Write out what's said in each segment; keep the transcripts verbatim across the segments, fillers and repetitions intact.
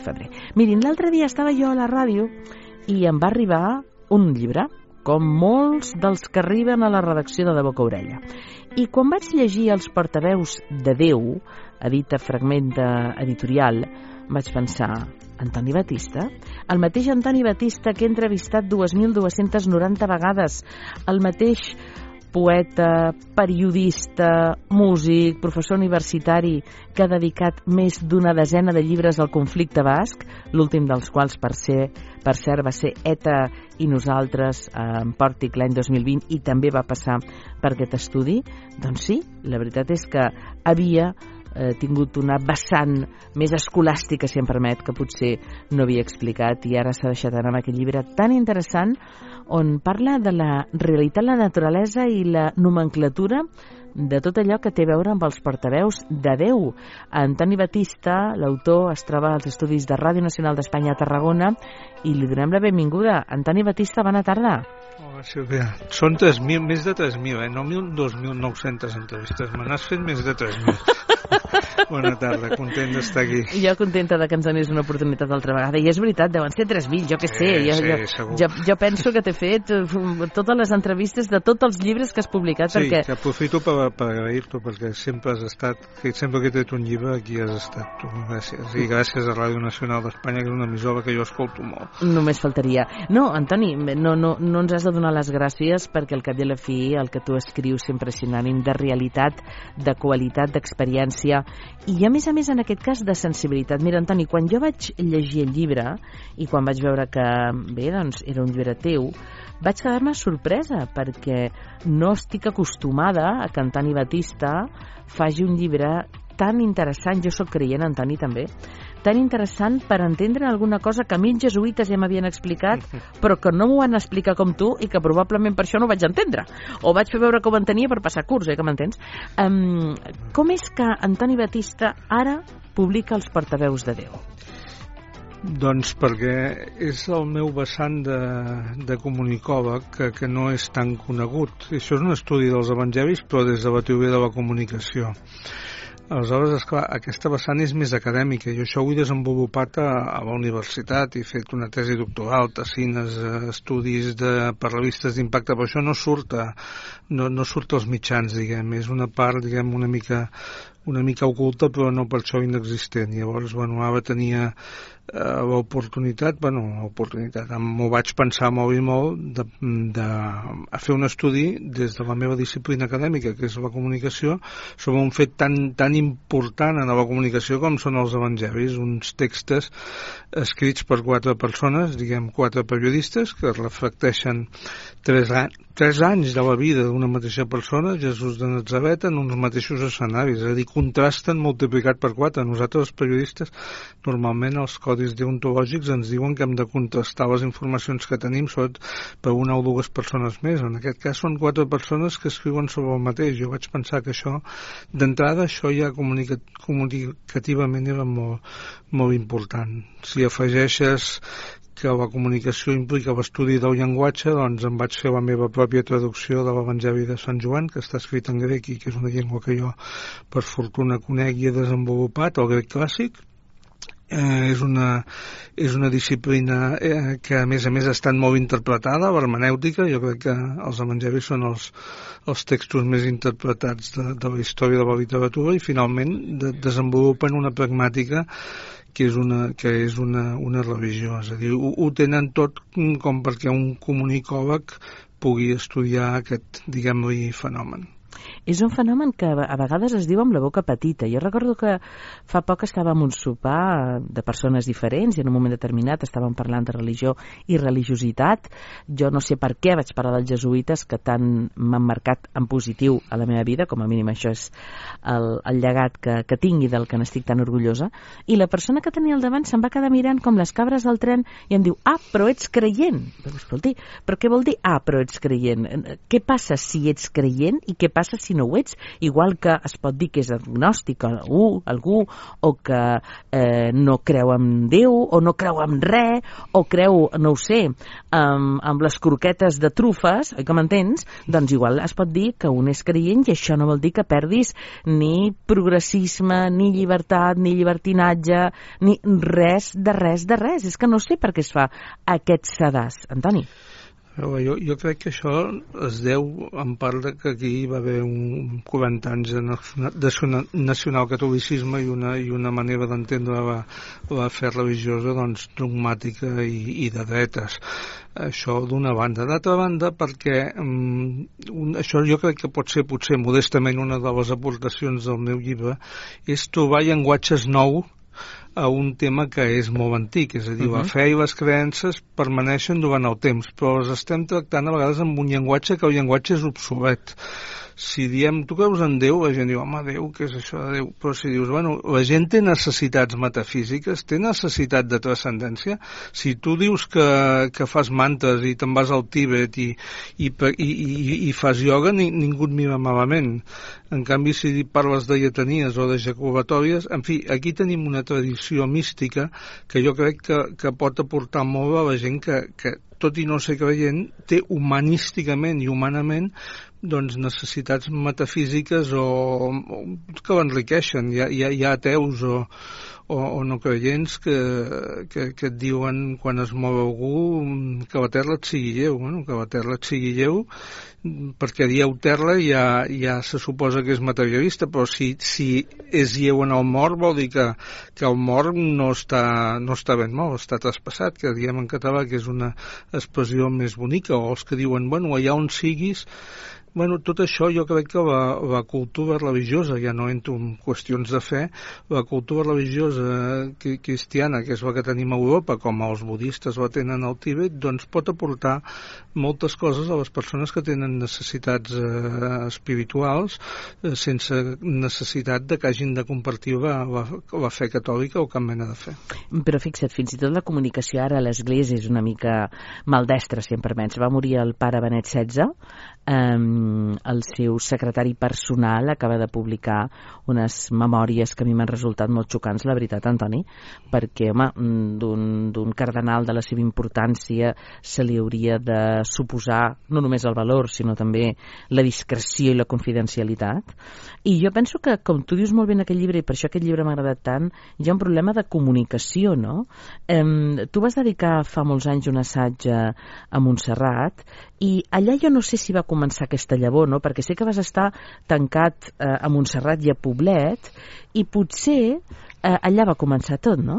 febrer. Mirin, l'altre dia estava jo a la ràdio i em va arribar un llibre, com molts dels que arriben a la redacció de De Boca a Orella. I quan vaig llegir Els portaveus de Déu, edita Fragment Editorial, vaig pensar, Antoni Batista? El mateix Antoni Batista que he entrevistat dos mil dos-centes noranta vegades, el mateix poeta, periodista, músic, professor universitari que ha dedicat més d'una desena de llibres al conflicte basc, l'últim dels quals, per ser, per cert, va ser ETA i nosaltres en Pòrtic l'any dos mil vint i també va passar per aquest estudi. Doncs sí, la veritat és que havia eh, tingut una vessant més escolàstica, si em permet, que potser no havia explicat i ara s'ha deixat anar amb aquest llibre tan interessant on parla de la realitat, la naturalesa i la nomenclatura de tot allò que té a veure amb els portaveus de Déu. Antoni Batista, l'autor, es troba als estudis de Ràdio Nacional d'Espanya a Tarragona i li donem la benvinguda. Antoni Batista, bona tarda. Hola, Sílvia. Són tres mil, més de tres mil, eh? No dos mil nou-centes entrevistes. Me n'has fet més de tres mil. Bona tarda, content d'estar aquí. Jo contenta de que ens donis una oportunitat altra vegada. I és veritat, deuen ser tres mil, jo què sé. Sí, jo, sí, jo, segur. Jo, jo penso que t'he fet totes les entrevistes de tots els llibres que has publicat. Sí, perquè... que aprofito per, per agrair-t'ho, perquè sempre has estat, que sempre que he tret un llibre, aquí has estat tu. Gràcies. I gràcies a Ràdio Nacional d'Espanya, que és una emissora que jo escolto molt. Només faltaria. No, Antoni, no, no, no ens has de donar les gràcies perquè al cap i a la fi el que tu escrius sempre és sinònim de realitat, de qualitat, d'experiència i a més a més en aquest cas de sensibilitat. Mira, Antoni, quan jo vaig llegir el llibre i quan vaig veure que bé, doncs era un llibre teu, vaig quedar-me sorpresa perquè no estic acostumada a que Antoni Batista faci un llibre tan interessant. Jo sóc creient, Antoni, també. Tan interessant per entendre alguna cosa que a mi els jesuïtes ja m'havien explicat, però que no m'ho van explicar com tu i que probablement per això no ho vaig entendre. O vaig fer veure que ho entenia per passar curs, eh, que m'entens? Um, com és que Antoni Batista ara publica Els portaveus de Déu? Doncs perquè és el meu vessant de, de comunicòleg que, que no és tan conegut. Això és un estudi dels evangelis, però des de la teoria de la comunicació. Aleshores, esclar, aquesta vessant és més acadèmica. Jo això ho he desenvolupat a, a la universitat, he fet una tesi doctoral, tessines, estudis de, per revistes d'impacte, però això no surt, a, no, no surt als mitjans, diguem. És una part, diguem, una mica, una mica oculta, però no per això inexistent. Llavors, bueno, ara tenia eh, l'oportunitat, bueno, l'oportunitat, m'ho vaig pensar molt i molt, de, de a fer un estudi des de la meva disciplina acadèmica, que és la comunicació, sobre un fet tan, tan important en la comunicació com són els evangelis, uns textos escrits per quatre persones, diguem quatre periodistes, que reflecteixen tres, tres anys de la vida d'una mateixa persona, Jesús de Natzaret, en uns mateixos escenaris, és a dir, contrasten multiplicat per quatre. Nosaltres, els periodistes, normalment els codis deontològics ens diuen que hem de contrastar les informacions que tenim sobretot per una o dues persones més. En aquest cas són quatre persones que escriuen sobre el mateix. Jo vaig pensar que això, d'entrada, això ja comunica comunicativament era molt, molt important. Si afegeixes que la comunicació implica l'estudi del llenguatge, doncs em vaig fer la meva pròpia traducció de l'Evangeli de Sant Joan, que està escrit en grec i que és una llengua que jo, per fortuna, conec i he desenvolupat, el grec clàssic. Eh, és, una, és una disciplina eh, que a més a més ha estat molt interpretada, l'hermenèutica. Jo crec que els evangelis són els, els textos més interpretats de, de la història de la literatura i finalment de, desenvolupen una pragmàtica que és una, que és una, una religió, és a dir, ho, ho tenen tot com perquè un comunicòleg pugui estudiar aquest, diguem-li, fenomen. És un fenomen que a vegades es diu amb la boca petita. Jo recordo que fa poc estàvem en un sopar de persones diferents i en un moment determinat estàvem parlant de religió i religiositat. Jo no sé per què vaig parlar dels jesuïtes que tant m'han marcat en positiu a la meva vida, com a mínim això és el, el llegat que, que tinc i del que n'estic tan orgullosa. I la persona que tenia al davant se'n va quedar mirant com les cabres del tren i em diu, ah, però ets creient. Però, escolti, però què vol dir, ah, però ets creient? Què passa si ets creient i què passa si no no ho ets, igual que es pot dir que és agnòstic algú, algú o que eh, no creu en Déu o no creu en res o creu, no ho sé, amb, amb les croquetes de trufes, oi que m'entens? Doncs igual es pot dir que un és creient i això no vol dir que perdis ni progressisme, ni llibertat, ni llibertinatge, ni res de res de res. És que no sé per què es fa aquest sedàs. Antoni? Jo, jo crec que això es deu en part de que aquí hi va haver un quaranta anys de, de nacionalcatolicisme i una, i una manera d'entendre la, la fe religiosa doncs, dogmàtica i, i de dretes. Això d'una banda. D'altra banda, perquè um, un, això jo crec que pot ser potser modestament una de les aportacions del meu llibre, és trobar llenguatges nous a un tema que és molt antic, és a dir, uh-huh. la fe i les creences permaneixen durant el temps, però les estem tractant a vegades amb un llenguatge que el llenguatge és obsolet. Si diem, tu creus en Déu, la gent diu, home, Déu, què és això de Déu? Però si dius, bueno, la gent té necessitats metafísiques, té necessitat de transcendència. Si tu dius que, que fas mantres i te'n vas al Tíbet i, i, i, i, i fas ioga, ni, ningú et mira malament. En canvi, si parles de lletanies o de jacobatòries, en fi, aquí tenim una tradició mística que jo crec que, que pot aportar molt a la gent que, que tot i no ser creient, té humanísticament i humanament doncs necessitats metafísiques o, o que l'enriqueixen. Hi ha, hi ha, hi ha ateus o, o, o no creients que, que, que et diuen quan es mou algú que la terra et sigui lleu, bueno, que la terra et sigui lleu, perquè dieu terra ja, ja se suposa que és materialista, però si, si és lleu en el mort vol dir que, que el mort no està, no està ben mort, està traspassat, que diem en català que és una expressió més bonica, o els que diuen, bueno, allà on siguis. Bueno, tot això jo crec que la, la cultura religiosa, ja no entro en qüestions de fe, la cultura religiosa cristiana, que és la que tenim a Europa, com els budistes la tenen al Tíbet, doncs pot aportar moltes coses a les persones que tenen necessitats eh, espirituals eh, sense necessitat de que hagin de compartir la, la, la fe catòlica o cap mena de fe. Però fixa't, fins i tot la comunicació ara a l'Església és una mica maldestra, si em permets. Va morir el pare Benet setze, Um, el seu secretari personal acaba de publicar unes memòries que a mi m'han resultat molt xocants, la veritat, Antoni, perquè, home, d'un, d'un cardenal de la seva importància se li hauria de suposar no només el valor, sinó també la discreció i la confidencialitat. I jo penso que, com tu dius molt bé en aquest llibre, i per això aquest llibre m'ha agradat tant, hi ha un problema de comunicació, no? Um, tu vas dedicar fa molts anys un assaig a Montserrat, i allà jo no sé si va començar aquesta llavor, no? Perquè sé que vas estar tancat eh, a Montserrat i a Poblet, i potser eh, allà va començar tot, no?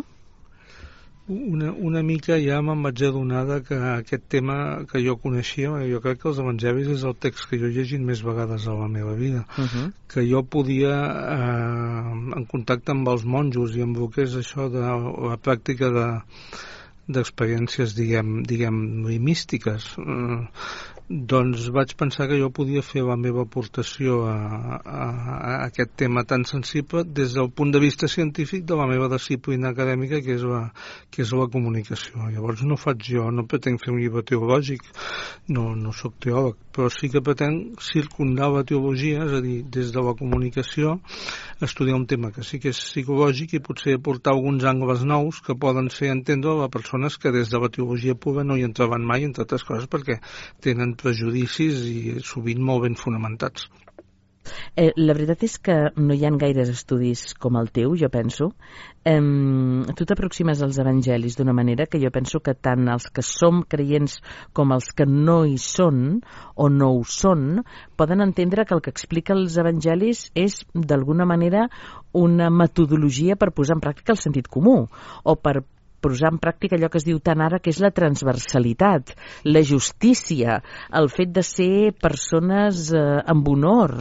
Una, una mica ja me'n vaig adonar que aquest tema que jo coneixia, jo crec que els evangelis és el text que jo he llegit més vegades a la meva vida, uh-huh. que jo podia, eh, en contacte amb els monjos i amb el que és això de la pràctica de d'experiències, diguem, diguem místiques, eh, doncs vaig pensar que jo podia fer la meva aportació a, a, a aquest tema tan sensible des del punt de vista científic de la meva disciplina acadèmica, que és la, que és la comunicació. Llavors no faig jo, no pretenc fer un llibre teològic, no, no sóc teòleg, però sí que pretenc circundar la teologia, és a dir, des de la comunicació, estudiar un tema que sí que és psicològic i potser aportar alguns angles nous que poden fer entendre a persones que des de la teologia pura no hi entraven mai, entre altres coses perquè tenen prejudicis i sovint molt ben fonamentats. Eh, la veritat és que no hi ha gaires estudis com el teu, jo penso. Eh, tu t'aproximes als evangelis d'una manera que jo penso que tant els que som creients com els que no hi són o no ho són poden entendre que el que explica els evangelis és d'alguna manera una metodologia per posar en pràctica el sentit comú o per posar en pràctica allò que es diu tant ara, que és la transversalitat, la justícia, el fet de ser persones eh, amb honor,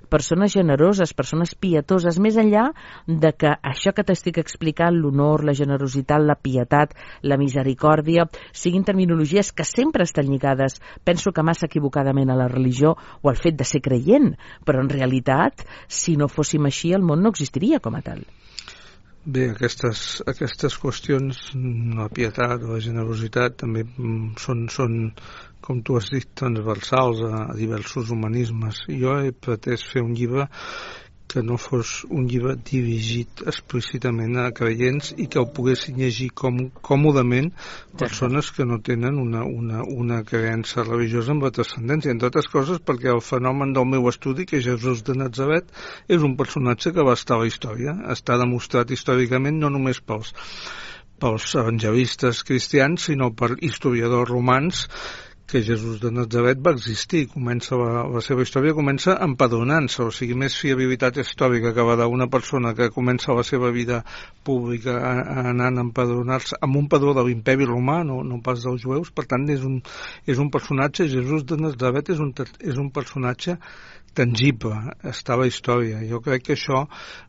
persones generoses, persones pietoses, més enllà de que això que t'estic explicant, l'honor, la generositat, la pietat, la misericòrdia, siguin terminologies que sempre estan lligades, penso que massa equivocadament a la religió o al fet de ser creient, però en realitat, si no fóssim així, el món no existiria com a tal. Bé, aquestes, aquestes qüestions, la pietat o la generositat, també són, són, com tu has dit, transversals a, a diversos humanismes. Jo he pretès fer un llibre que no fos un llibre dirigit explícitament a creients i que ho poguessin llegir com, còmodament persones que no tenen una, una, una creença religiosa amb la transcendència, entre altres coses perquè el fenomen del meu estudi, que Jesús de Natzaret, és un personatge que va estar a la història, està demostrat històricament no només pels, pels evangelistes cristians, sinó per historiadors romans, que Jesús de Natzaret va existir. Comença la, la seva història comença empadronant-se, o sigui, més fiabilitat històrica que va d'una persona que comença la seva vida pública anant a empadronar-se amb un padró de l'imperi romà, no, no pas dels jueus. Per tant, és un, és un personatge, Jesús de Natzaret és un, és un personatge tangible, està a la història. Jo crec que això,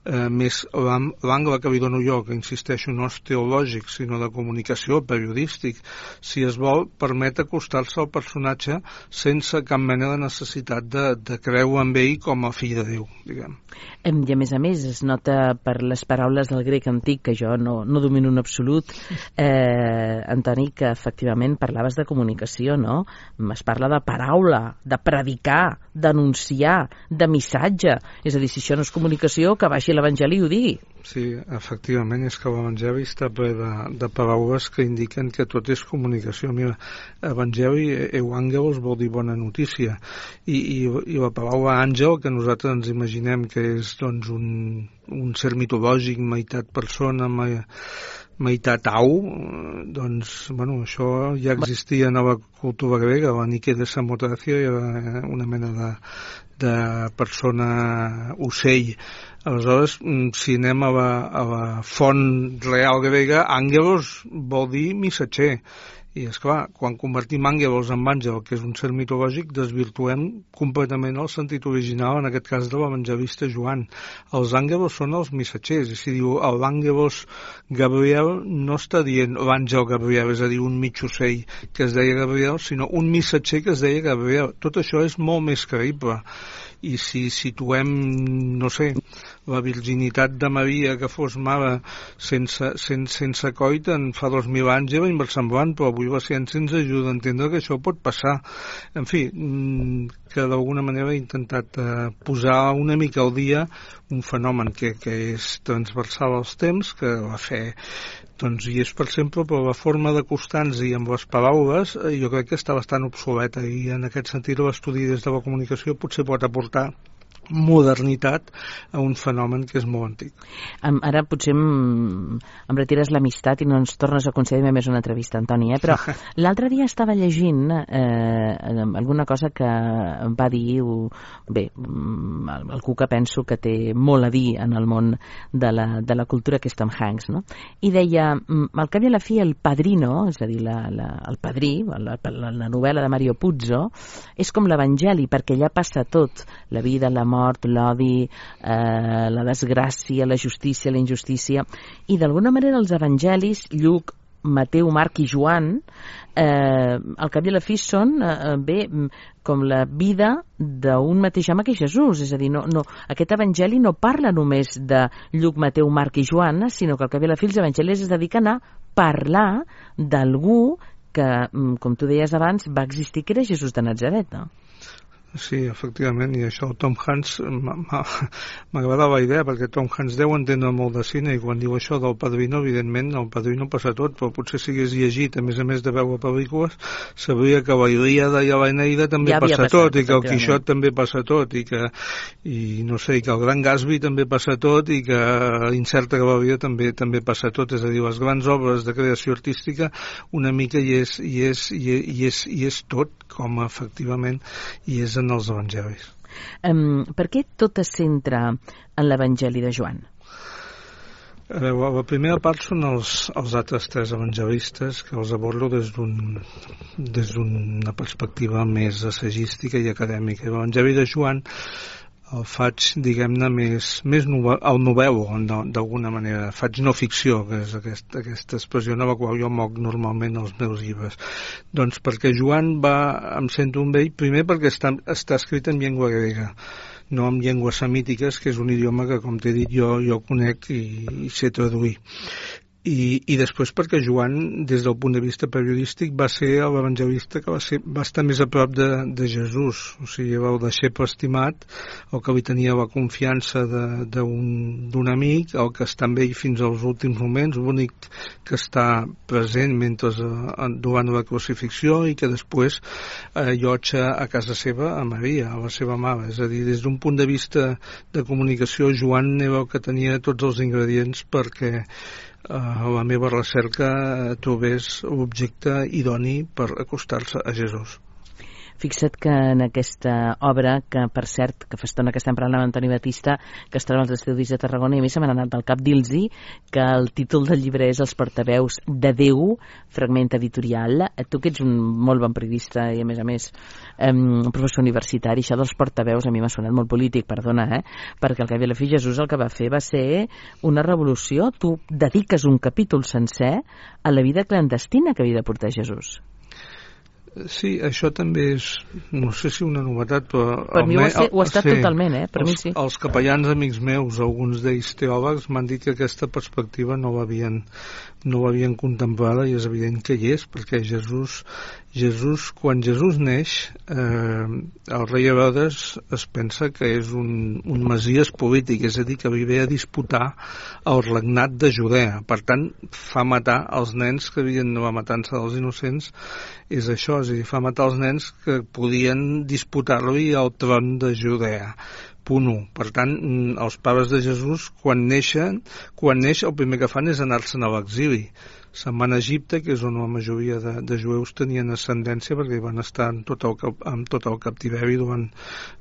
eh, més l'angle que li dono jo, que insisteixo no és teològic, sinó de comunicació, periodístic, si es vol, permet acostar-se al personatge sense cap mena de necessitat de, de creure en ell com a fill de Déu, diguem. I a més a més es nota per les paraules del grec antic, que jo no, no domino en absolut, eh, Antoni, que efectivament parlaves de comunicació, no? Es parla de paraula, de predicar, d'anunciar, de missatge. És a dir, si això no és comunicació, que baixi l'Evangeli i ho digui. Sí, efectivament, és que l'Evangeli està ple de, de paraules que indiquen que tot és comunicació. Mira, Evangeli, euangelos, vol dir bona notícia, i, i, i la paraula àngel, que nosaltres ens imaginem que és doncs, un, un ser mitològic, meitat persona, meitat au, doncs, bueno, això ja existia en la cultura grega, la Nike de Samotracia, era una mena de, de persona ocell. Aleshores, si anem a la, a la font real grega, àngelos vol dir missatger. I, esclar, quan convertim àngelos en àngel, que és un ser mitològic, desvirtuem completament el sentit original, en aquest cas de l'evangelista Joan. Els àngelos són els missatgers, i si diu l'àngelos Gabriel, no està dient l'àngel Gabriel, és a dir, un mig ocell que es deia Gabriel, sinó un missatger que es deia Gabriel. Tot això és molt més creïble. I si situem, no sé, la virginitat de Maria, que fos mare sense, sense, sense coit, en fa dos mil anys era inversemblant, però avui la ciència ens ajuda a entendre que això pot passar. En fi, que d'alguna manera he intentat eh, posar una mica al dia un fenomen que, que és transversal als temps, que la fe doncs hi és per sempre, però la forma d'acostar-nos-hi amb les paraules eh, jo crec que està bastant obsoleta, i en aquest sentit l'estudi des de la comunicació potser pot aportar modernitat a un fenomen que és molt antic. Ara potser em, em retires l'amistat i no ens tornes a concedir més una entrevista, Antoni, eh? Però l'altre dia estava llegint eh, alguna cosa que va dir bé, algú que penso que té molt a dir en el món de la, de la cultura, que és Tom Hanks, no? I deia, al cap i a la fi, El Padrino, és a dir, la, la, el padrí, la, la, la novel·la de Mario Puzo, és com l'Evangeli, perquè allà passa tot, la vida, la mort, l'odi, eh, la desgràcia, la justícia, la injustícia, i d'alguna manera els evangelis, Lluc, Mateu, Marc i Joan, eh, al cap i a la fi són eh, bé, com la vida d'un mateix home que Jesús, és a dir, no, no, aquest evangeli no parla només de Lluc, Mateu, Marc i Joan, sinó que al cap i a la fi els evangelis es dediquen a parlar d'algú que, com tu deies abans, va existir, que era Jesús de Natzaret, no? Sí, efectivament, i això Tom Hanks m'agradava la idea, perquè Tom Hanks deu entendre molt de cine, i quan diu això del Padrino, evidentment el Padrino passa tot, però potser si hagués llegit, a més a més de veure pel·lícules, sabria que la Ilíada i l'Eneida també ja passa passat, tot, i que el Quixot també passa tot, i que, i no sé, i que el Gran Gatsby també passa tot, i que l'Incerta Glòria també també passa tot, és a dir, les grans obres de creació artística una mica hi és, hi és, hi és, hi és, hi és tot, com efectivament hi és en els evangelis. Um, per què tot es centra en l'Evangeli de Joan? A veure, la primera part són els, els altres tres evangelistes, que els abordo des d'un des d'una perspectiva més assagística i acadèmica. L'Evangeli de Joan el faig, diguem-ne, més, més novel·lo, el novel·lo, d'alguna manera. Faig no ficció, que és aquesta, aquesta expressió a la qual jo moc normalment els meus llibres. Doncs perquè Joan va, em sento un vell, primer perquè està, està escrit en llengua grega. no amb llengües semítiques, que és un idioma que, com t'he dit, jo, jo conec i, i sé traduir. I, i després perquè Joan, des del punt de vista periodístic, va ser l'evangelista que va, ser, va estar més a prop de, de Jesús, o sigui, el deixeble estimat, el que li tenia la confiança d'un amic, el que està amb ell fins als últims moments, l'únic que està present mentre eh, durant la crucifixió i que després eh, llotja a casa seva a Maria, a la seva mare. És a dir, des d'un punt de vista de comunicació, Joan era el que tenia tots els ingredients perquè Uh, la meva recerca trobés l'objecte idoni per acostar-se a Jesús. Fixa't que en aquesta obra, que per cert, que fa estona que estem parlant amb Antoni Batista, que es troba als Estudis de Tarragona, i a mi se m'ha anat del cap dir-los que el títol del llibre és Els portaveus de Déu, fragment editorial. Tu que ets un molt bon periodista i a més a més um, professor universitari, això dels portaveus a mi m'ha sonat molt polític, perdona, eh? Perquè al cap i a la fi Jesús el que va fer va ser una revolució. Tu dediques un capítol sencer a la vida clandestina que havia de portar Jesús. Sí, això també és, no sé si una novetat, però... Per mi ho ha, ser, ho ha estat sí, totalment, eh? Per els, mi sí. Els capellans amics meus, alguns d'ells teòlegs, m'han dit que aquesta perspectiva no l'havien no l'havien contemplada, i és evident que hi és, perquè Jesús, Jesús quan Jesús neix, eh, el rei Herodes es pensa que és un, un messies polític, és a dir, que ve a disputar el regnat de Judea. Per tant, fa matar els nens que havien de la matança dels innocents, és això, és a dir, fa matar els nens que podien disputar-li el tron de Judea. Punt u. Per tant, els pares de Jesús, quan neixen, quan neix, el primer que fan és anar-se'n a l'exili. Se'n van a Egipte, que és on la majoria de, de jueus tenien ascendència, perquè van estar en tot el, en tot el captiveri durant,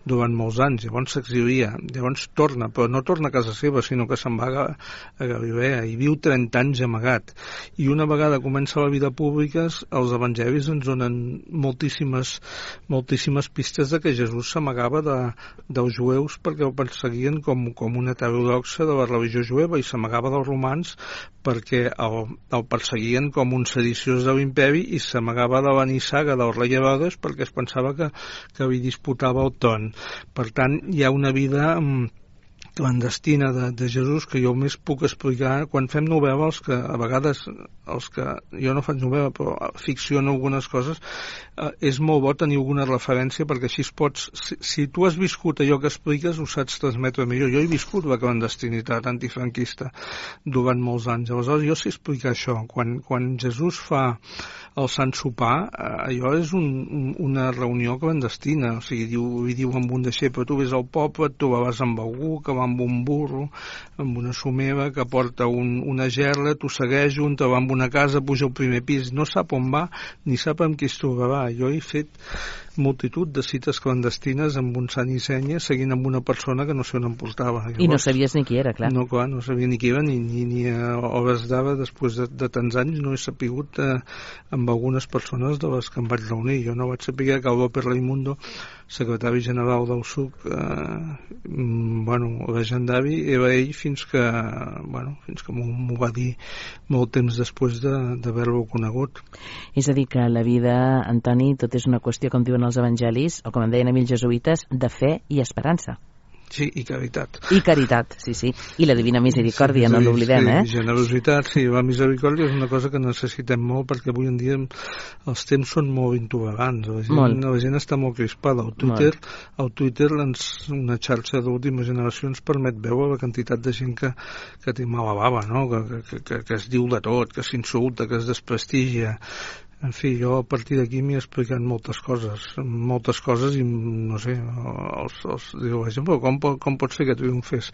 durant molts anys. Llavors s'exilia, llavors torna, però no torna a casa seva, sinó que se'n va a, a Galilea i viu trenta anys amagat. I una vegada comença la vida pública, els evangelis ens donen moltíssimes, moltíssimes pistes de que Jesús s'amagava de, dels jueus perquè el perseguien com, com una heterodoxa de la religió jueva, i s'amagava dels romans perquè el, el perseguien com un sediciós de l'imperi, i s'amagava de la nissaga del rei Herodes perquè es pensava que, que li disputava el tron. Per tant, hi ha una vida clandestina de, de Jesús que jo més puc explicar quan fem novel·la, els que a vegades els que jo no faig novel·la però ficciono algunes coses, eh, és molt bo tenir alguna referència, perquè així es pots, si, si tu has viscut allò que expliques ho saps transmetre millor. Jo he viscut la clandestinitat antifranquista durant molts anys, aleshores jo sé explicar això. Quan, quan Jesús fa el Sant Sopar, eh, allò és un, un, una reunió clandestina, o sigui, diu, li diu amb un deixeble, tu ves al poble, et trobaràs amb algú que va amb un burro, amb una somera, que porta un, una gerla, tu segueix un, te va amb una casa, puja al primer pis, no sap on va, ni sap amb qui es trobarà. Jo he fet multitud de cites clandestines amb un sant i senya, seguint amb una persona que no sé on em portava. Llavors, I no sabies ni qui era, clar. No, clar, no sabia ni qui era, ni, ni, ni a hores d'ara, després de, de tants anys, no he sapigut eh, amb algunes persones de les que em vaig reunir. Jo no vaig saber que el López Raimundo, secretari general del S U C, eh, bueno, legendari, era ell fins que, bueno, fins que m'ho va dir molt temps després d'haver-lo conegut. És a dir, que la vida, Antoni, tot és una qüestió, com diuen els evangelis, o com en deien a mi els jesuïtes, de fe i esperança. Sí, i caritat. I caritat, sí, sí. I la divina misericòrdia, sí, no l'oblidem, sí, eh? Generositat, sí, la misericòrdia és una cosa que necessitem molt, perquè avui en dia els temps són molt intolerants. La gent, molt. La gent està molt crispada. El Twitter, el Twitter ens, una xarxa d'última generació, ens permet veure la quantitat de gent que, que té mala bava, no? que, que, que, que es diu de tot, que s'insulta, que es desprestigia. En fi, jo a partir d'aquí m'he explicat moltes coses, moltes coses i, no sé, els, els, diu, com, com pot ser que triomfés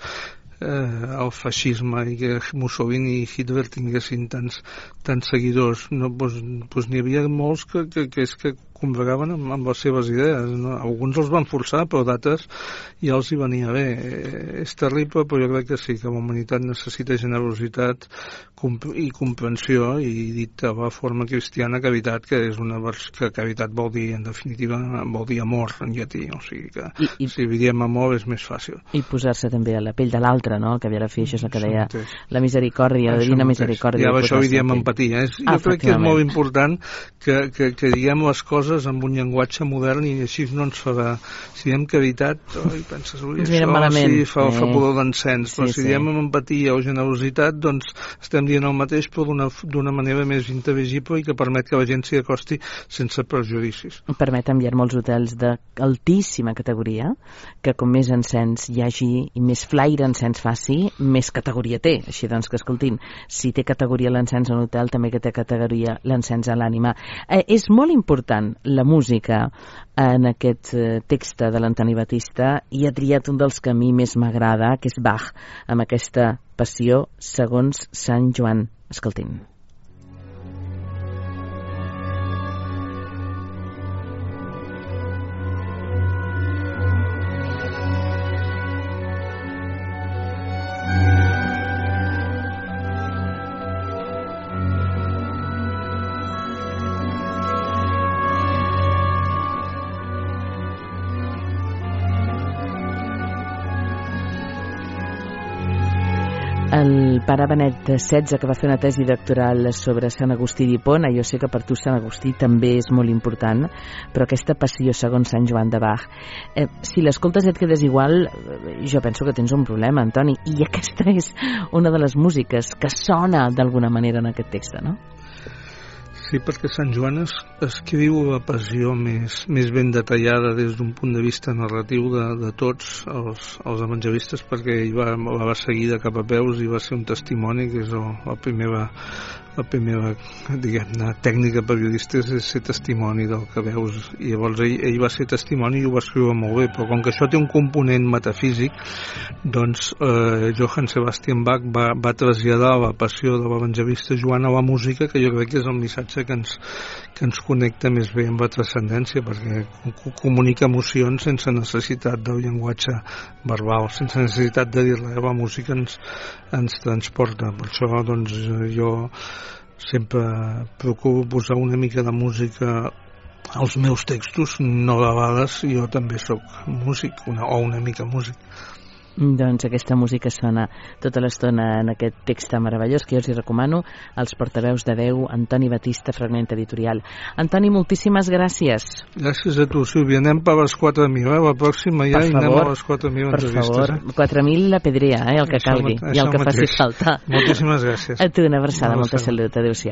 eh, el feixisme i que Mussolini i Hitler tinguessin tants, tants seguidors? No, doncs, doncs n'hi havia molts que, que, que és que combregaven amb, amb les seves idees, no? Alguns els van forçar, però d'altres ja els hi venia bé. Eh, és terrible, però jo crec que sí, que la humanitat necessita generositat i comprensió, i dit de la forma cristiana, caritat, que és una vers que caritat vol dir, en definitiva, vol dir amor en llatí, o sigui que I, i, si diem amor és més fàcil. I posar-se també a la pell de l'altre, no? Que havia de fer, això és el que deia la misericòrdia, la divina misericòrdia. Ja això ho diem empatia. És, jo crec que és molt important que, que, que diguem les coses coses amb un llenguatge modern i així no ens farà... Si diem caritat, oi, penses, ui, ens això malament. sí, fa, eh. fa pudor d'encens, sí, però si sí. diem amb empatia o generositat, doncs estem dient el mateix però d'una manera més intel·ligible i que permet que la gent s'hi acosti sense prejudicis. Permet enviar molts hotels d'altíssima categoria, que com més encens hi hagi i més flaire encens faci, més categoria té. Així doncs que, escoltin, si té categoria l'encens a un hotel, també que té categoria l'encens a l'ànima. Eh, és molt important la música en aquest eh, text de l'Antoni Batista i ha triat un dels que a mi més m'agrada, que és Bach, amb aquesta passió segons Sant Joan. Escoltin. El pare Benet setze, que va fer una tesi doctoral sobre Sant Agustí d'Hipona, jo sé que per tu Sant Agustí també és molt important, però aquesta passió segons Sant Joan de Bach, eh, si l'escoltes i et quedes igual, jo penso que tens un problema, Antoni, i aquesta és una de les músiques que sona d'alguna manera en aquest text, no? Sí, perquè Sant Joan es, escriu la passió més, més ben detallada des d'un punt de vista narratiu de, de tots els, els evangelistes, perquè ell va, la va seguir de cap a peus i va ser un testimoni, que és el, la primera, la primera diguem-ne, tècnica periodista és ser testimoni del que veus, i llavors ell, ell va ser testimoni i ho va escriure molt bé, però com que això té un component metafísic, doncs eh, Johann Sebastian Bach va, va traslladar la passió de l'evangelista Joan a la música, que jo crec que és el missatge que ens, que ens connecta més bé amb la transcendència, perquè comunica emocions sense necessitat del llenguatge verbal, sense necessitat de dir-la. La música ens, ens transporta. Per això doncs, jo sempre procuro posar una mica de música als meus textos, no de vegades jo també sóc músic, una, o una mica músic. Doncs aquesta música sona tota l'estona en aquest text meravellós que jo us hi recomano, Els portaveus de Déu, Antoni Batista, Fragment Editorial. Antoni, moltíssimes gràcies. Gràcies a tu, Sílvia. Anem per les quatre mil, eh? La pròxima ja favor, anem a les quatre mil entrevistes. Per favor, eh? quatre mil la pedrea, eh? El que això calgui, això i el que mateix. faci falta. Moltíssimes gràcies. A tu una abraçada, Una molta abraçada. salut, adéu-siau.